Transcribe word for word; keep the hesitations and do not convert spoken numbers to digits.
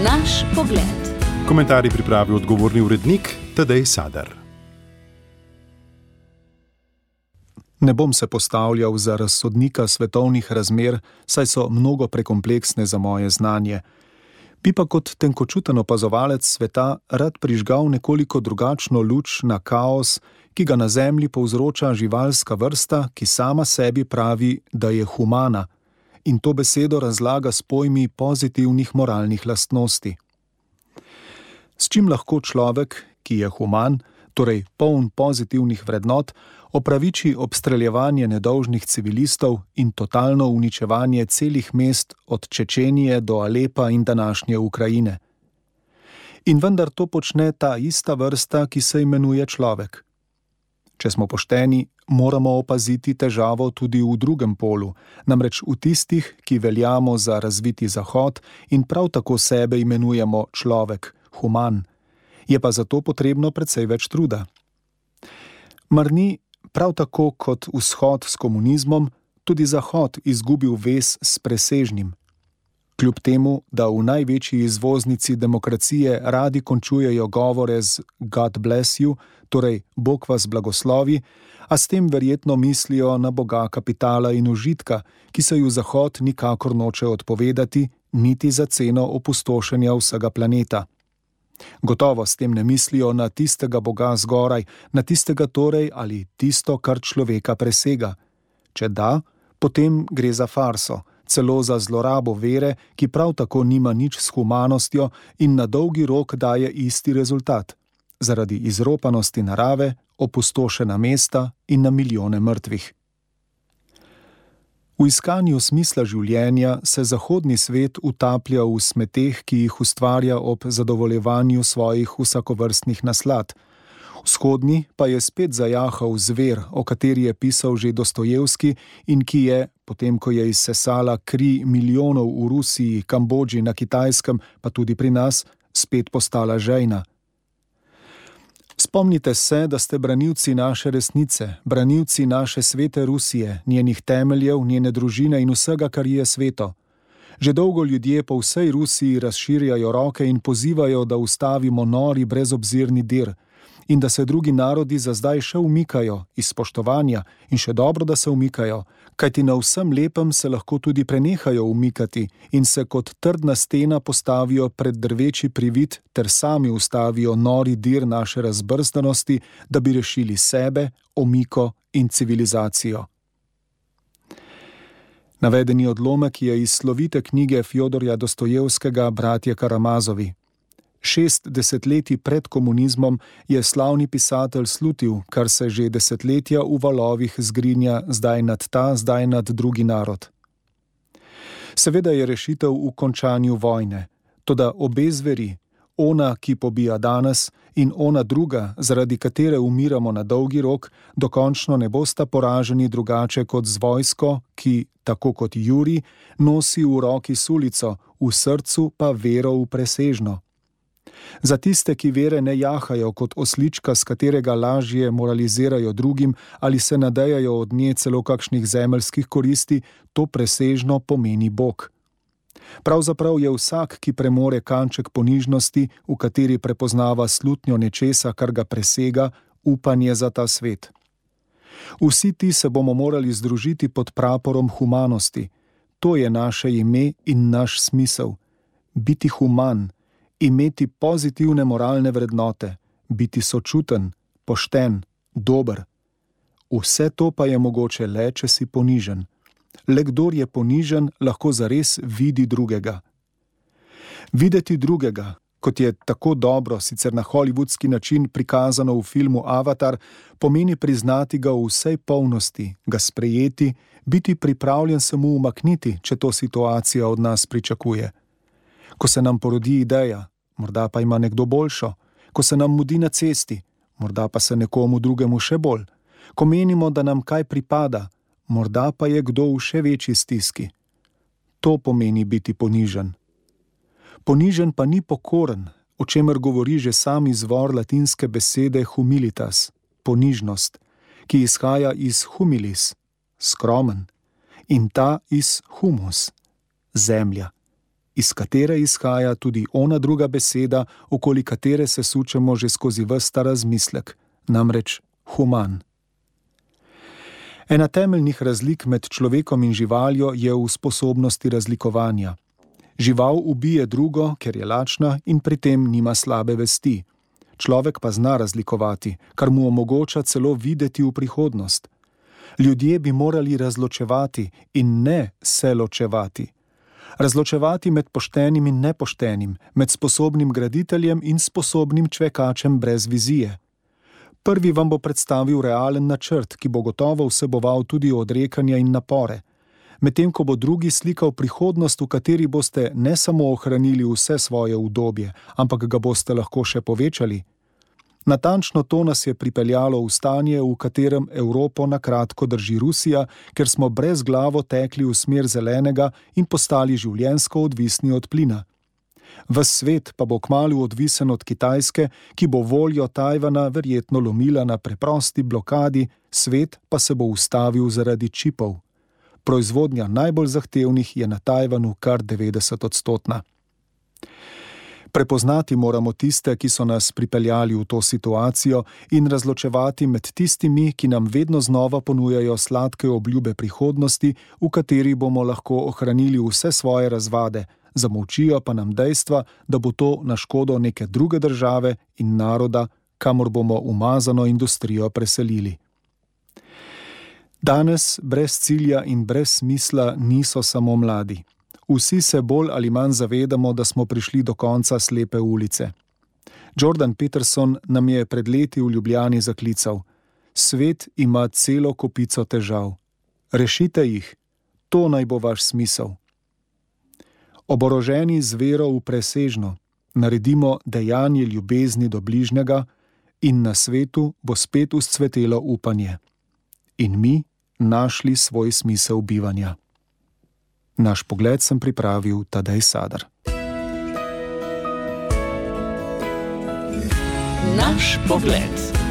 Naš pogled. Komentarji pripravi odgovorni urednik Tadej Sadar. Ne bom se postavljal za razsodnika svetovnih razmer, saj so mnogo prekompleksne za moje znanje. Bi pa kot tenkočuten opazovalec sveta rad prižgal nekoliko drugačno luč na kaos, ki ga na Zemlji povzroča živalska vrsta, ki sama sebi pravi, da je humana, in to besedo razlaga s pojmi pozitivnih moralnih lastnosti. S čim lahko človek, ki je human, torej poln pozitivnih vrednot, opraviči obstreljevanje nedolžnih civilistov in totalno uničevanje celih mest od Čečenije do Alepa in današnje Ukrajine. In vendar to počne ta ista vrsta, ki se imenuje človek. Če smo pošteni, moramo opaziti težavo tudi v drugem polu, namreč v tistih, ki veljamo za razviti zahod in prav tako sebe imenujemo človek, human. Je pa zato potrebno precej več truda. Mar ni prav tako kot vzhod s komunizmom, tudi zahod izgubil vez s presežnim? Kljub temu, da v največji izvoznici demokracije radi končujejo govore z God bless you, torej Bog vas blagoslovi, a s tem verjetno mislijo na boga kapitala in užitka, ki se ju zahod nikakor noče odpovedati, niti za ceno opustošenja vsega planeta. Gotovo s tem ne mislijo na tistega boga zgoraj, na tistega torej ali tisto, kar človeka presega. Če da, potem gre za farso, celo za zlorabo vere, ki prav tako nima nič s humanostjo in na dolgi rok daje isti rezultat, zaradi izropanosti narave, opustošena mesta in na milijone mrtvih. V iskanju smisla življenja se zahodni svet utaplja v smeteh, ki jih ustvarja ob zadovoljevanju svojih vsakovrstnih naslad. Vzhodni pa je spet zajahal zver, o kateri je pisal že Dostojevski in ki je, potem ko je izsesala kri milijonov v Rusiji, Kambodži, na Kitajskem, pa tudi pri nas, spet postala žejna. Spomnite se, da ste branilci naše resnice, branilci naše svete Rusije, njenih temeljev, njene družine in vsega, kar je sveto. Že dolgo ljudje po vsej Rusiji razširjajo roke in pozivajo, da ustavimo nori brezobzirni dir in da se drugi narodi za zdaj še umikajo iz spoštovanja in še dobro, da se umikajo, kajti na vsem lepem se lahko tudi prenehajo umikati in se kot trdna stena postavijo pred drveči privid ter sami ustavijo nori dir naše razbrzdanosti, da bi rešili sebe, omiko in civilizacijo. Navedeni odlomek je iz slovite knjige Fjodorja Dostojevskega Bratje Karamazovi. Šest desetletij pred komunizmom je slavni pisatelj slutil, kar se že desetletja v valovih zgrinja zdaj nad ta, zdaj nad drugi narod. Seveda je rešitev v končanju vojne, toda obe zveri, ona, ki pobija danes, in ona druga, zaradi katere umiramo na dolgi rok, dokončno ne bosta poraženi drugače kot z vojsko, ki, tako kot Jurij, nosi v roki sulico, v srcu pa vero v presežno. Za tiste, ki vere ne jahajo kot oslička, s katerega lažje moralizirajo drugim ali se nadejajo od nje celo kakšnih zemeljskih koristi, to presežno pomeni Bog. Pravzaprav je vsak, ki premore kanček ponižnosti, v kateri prepoznava slutnjo nečesa, kar ga presega, upanje za ta svet. Vsi ti se bomo morali združiti pod praporom humanosti. To je naše ime in naš smisel. Biti human, imeti pozitivne moralne vrednote, biti sočuten, pošten, dober. Vse to pa je mogoče le, če si ponižen. Le kdor je ponižen, lahko zares vidi drugega. Videti drugega, kot je tako dobro, sicer na hollywoodski način prikazano v filmu Avatar, pomeni priznati ga v vsej polnosti, ga sprejeti, biti pripravljen se mu umakniti, če to situacija od nas pričakuje. Ko se nam porodi ideja, morda pa ima nekdo boljšo, ko se nam mudi na cesti, morda pa se nekomu drugemu še bolj, ko menimo, da nam kaj pripada, morda pa je kdo v še večji stiski. To pomeni biti ponižen. Ponižen pa ni pokoren, o čemer govori že sam izvor latinske besede humilitas, ponižnost, ki izhaja iz humilis, skromen, in ta iz humus, zemlja. iz katere izhaja tudi ona druga beseda, okoli katere se sučemo že skozi ves ta razmislek, namreč human. Ena temeljnih razlik med človekom in živaljo je v sposobnosti razlikovanja. Žival ubije drugo, ker je lačna in pri tem nima slabe vesti. Človek pa zna razlikovati, kar mu omogoča celo videti v prihodnost. Ljudje bi morali razločevati in ne se ločevati. Razločevati med poštenim in nepoštenim, med sposobnim graditeljem in sposobnim čvekačem brez vizije. Prvi vam bo predstavil realen načrt, ki bo gotovo vseboval tudi odrekanja in napore, medtem ko bo drugi slikal prihodnost, v kateri boste ne samo ohranili vse svoje udobje, ampak ga boste lahko še povečali. Natančno to nas je pripeljalo v stanje, v katerem Evropo na kratko drži Rusija, ker smo brezglavo tekli v smer zelenega in postali življenjsko odvisni od plina. Ves svet pa bo kmalu odvisen od Kitajske, ki bo voljo Tajvana verjetno lomila na preprosti blokadi, svet pa se bo ustavil zaradi čipov. Proizvodnja najbolj zahtevnih je na Tajvanu kar devetdeset odstotna. Prepoznati moramo tiste, ki so nas pripeljali v to situacijo in razločevati med tistimi, ki nam vedno znova ponujajo sladke obljube prihodnosti, v kateri bomo lahko ohranili vse svoje razvade, zamolčijo pa nam dejstva, da bo to na škodo neke druge države in naroda, kamor bomo umazano industrijo preselili. Danes brez cilja in brez smisla niso samo mladi. Vsi se bolj ali manj zavedamo, da smo prišli do konca slepe ulice. Jordan Peterson nam je pred leti v Ljubljani zaklical: Svet ima celo kopico težav. Rešite jih, to naj bo vaš smisel. Oboroženi z vero v presežno, naredimo dejanje ljubezni do bližnjega in na svetu bo spet vzcvetelo upanje. In mi našli svoj smisel bivanja. Naš pogled sem pripravil Tadej Sadar. Naš pogled.